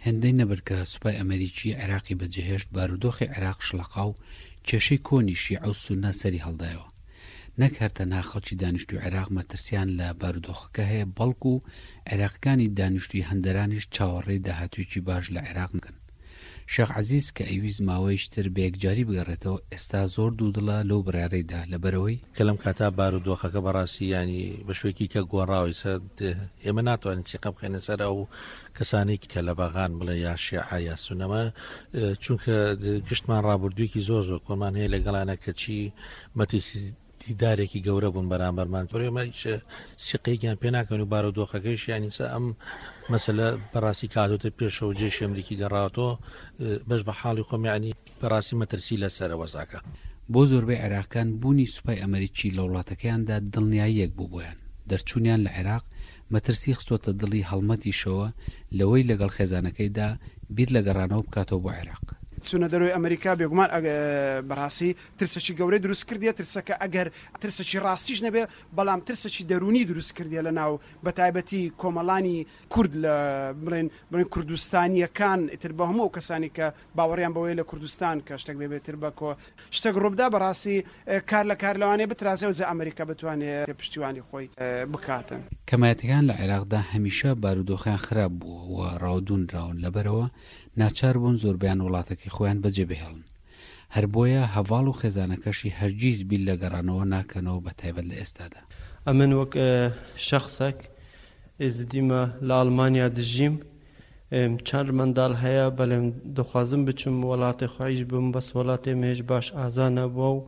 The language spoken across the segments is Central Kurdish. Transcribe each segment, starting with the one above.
هێندەی نەبرد کە سوپای ئەمەریکی عێراقی بەجێهێشت، بارودۆخی عێراق شڵەقا و کێشەی کۆنی شیعە و سوننە سەری هەڵدایەوە. نەک هەر تەنها خەڵکی دانیشتووی عێراق مەترسیان لە بارودۆخەکە هەیە، بەڵکو عێراقیەکانی دانیشتووی هەندەرانیش چاوەڕێی داهاتوویەکی باش لە عێراق نکەن. شێخ عەزیز کە ئەیویست ماوەیەکی تر بە یەکجاری بگەڕێتەوە، ئێستا زۆر دوودڵە لەو بڕیارەیدا، لەبەرئەوەی. کە لەم کاتە بارودۆخەکە بەڕاستی یانی بە شوێکی کە گۆڕاوە ئیستا ئێمە ناتوانین سیقە بخەینە سەر ئەو کەسانەی کە لە بەغان بڵێ یا شیعە یا سونەمە چونکە گشتمان ڕابردوویەکی زۆر زۆر کۆمان هەیە لەگەڵانە کەچی مەترسی دیدارێکی گەورە بوون بەرامبەرمان ئێمە هیچ سیقەیەکیان پێ ناکەن و بارودۆخەکەیش یانی سە ئەم مەسەلە بەڕاستی کاتۆتە پێشەوە جێشی ئەمریکی گەڕاوەتەوە بەش بە حاڵی خۆم یانی بەڕاستی مەترسی لەسەرە وەزعەکە. بۆ زۆربەی عێراقیان بوونی سوپای ئەمەریکی لە وڵاتەکەیاندا دڵنیاییەک بوو بۆیان، دەرچوونیان لە عێراق مەترسی خستۆتە دڵی هەڵمەتیشەوە لەوەی لەگەڵ خێزانەکەیدا بیر لە گەڕانەوە بکاتەوە بۆ عێراق. چوونە دەرەوەی ئەمەریکا بێگومان بەڕاستی ترسێکی گەورەی دروست کردیە، ترسەکە ئەگەر ترسێکی ڕاستیش نەبێ بەڵام ترسێکی دەروونی دروست کردیە لە ناو بەتایبەتی کۆمەڵانی کورد لە بڵێن بڵێن کوردستانییەکان ئیتر بە هەموو ئەو کەسانی کە باوەڕیان بەوەیە لە کوردستان کە شتێک بێ بێتر بە کۆ شتێک ڕووبدا بەڕاستی کار لە کار لەوانەیە بترازێ و جا ئەمریکا بتوانێ پشتیوانی خۆی بکاتن. کەمایەتەکان لە عێراقدا هەمیشە بارودۆخیان خراپ بووە و ڕاودوونراون لەبەرئەوە ناچار بوون زۆربەیان وڵاتەکەی خۆیان بەجێ بهێڵن. هەر بۆیە هەڤاڵ و خێزانەکەشی هەرگیز بیر لە گەڕانەوە ناکەنەوە بە تایبەت لە ئێستادا. ئەمن وەک شەخسەک ئێزدیمە لە ئەڵمانیا دژیم چەند منداڵ هەیە بەلێم دخوازم بچم وەڵاتێ خویش بم بەس وەڵاتێ مە هێش باش ئازا نەبوە و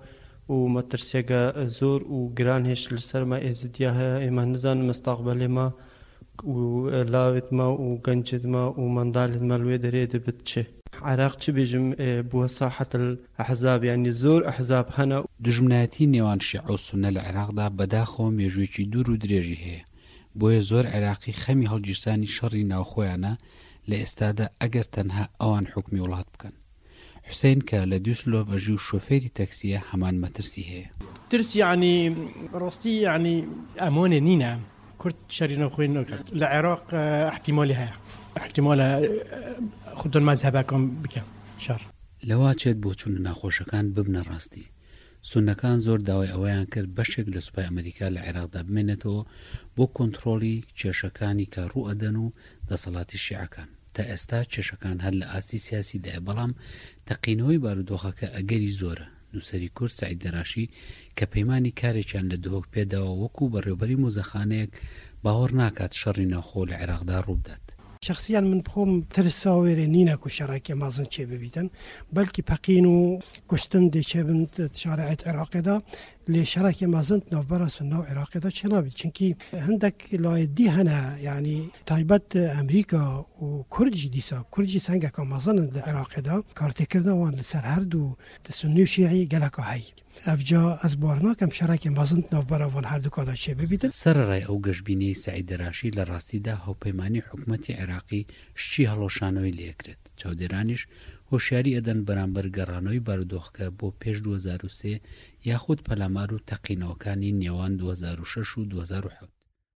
و مەترسیەگە زۆر و گران هێش لەسەر مە ئێزدیا هەیە ئێمە نزانم مستەقبەلێ مە و لاوێت مە و گەنجێت مە و مندالێت مە لوێ دەرێ دبت چ. عێراق چ بێژم بووە ساحەت الاحزاب یانی زۆر ئەحزاب هەنە. دوژمنایەتی نێوان شیعە و سوننە لە عێراقدا بەداخەوە مێژوویەکی دوور و درێژی هەیە، بۆیە زۆر عێراقی خەمی هەڵگیرسانی شەڕی ناوخۆیانە لە ئێستادا ئەگەر تەنها ئەوان حوکمی وڵات بکەن. حوسەین کە لە دوسلۆف ئەژی و شۆفێری تەکسییە هەمان مەترسی هەیە. ترس یەعنی ڕاستی یەعنی ئەمانێ نینە کورد شەری ناوخۆی ناکات لە عێراق ئیحتیمالی هەیە ئیحتیمالە خودان مەزهەبەکان بکەن شەڕ. لەواچێت بۆچوونە ناخۆشەکان ببنە ڕاستی. سوننەکان زۆر داوای ئەوەیان کرد بەشێک لە سوپای ئەمریکا لە عێراقدا بمێنێتەوە بۆ کۆنتڕۆڵی کێشەکانی کە ڕووئەدەن و دەسەڵاتی شیعەکان. تا ئێستا کێشەکان هەر لە ئاستی سیاسیدایە بەڵام تەقینەوەی بارودۆخەکە ئەگەری زۆرە. نووسەری کورد سەعید دەراشی کە پەیمانی کارێکیان لە دهۆک پێداوە وەکو بەڕێوبەری مۆزەخانەیەک باوەڕ ناکات شەڕی ناوخۆ لە عێراقدا ڕووبدات. شەخسیەن من بخۆم ترسا وێرێ نینە کو شەڕێکێ مەزن چێ ببیتن بەلکی پەقین و کوشتن دێ چێ بن شارعێت عێراقێدا لێ شەڕێکێ مەزن ناڤبەرا سوننە و عێراقێدا چێ نابیت چونکی هندەک لایێ دی هەنە یانی تایبەت ئەمریکا و کورد ژی دیسا کورد ژی سەنگەکا مەزنن لە عێراقێدا کارتێکردنا وان لەسەر هەردوو سوننی و شیعی گەلەکا هەی. ئەڤجا ئەز بار ناکەم شەڕێکێ مەزن ناڤبەرا ڤان هەردووکادا چێ ببیتن. سەرەڕای ئەو گەشبینیەی سەعید دەراشی لە ڕاستیدا هاوپەیمانی حکومەتی عێراقی شکی هەڵوەشانەوەی لێکرێت، چاودێرانیش هۆشیاری ئەدەن بەرامبەر گەڕانەوەی بارودۆخەکە بۆ پێش 2003 یاخود پەلامار و تەقینەوەکانی نێوان 2006 و 2007.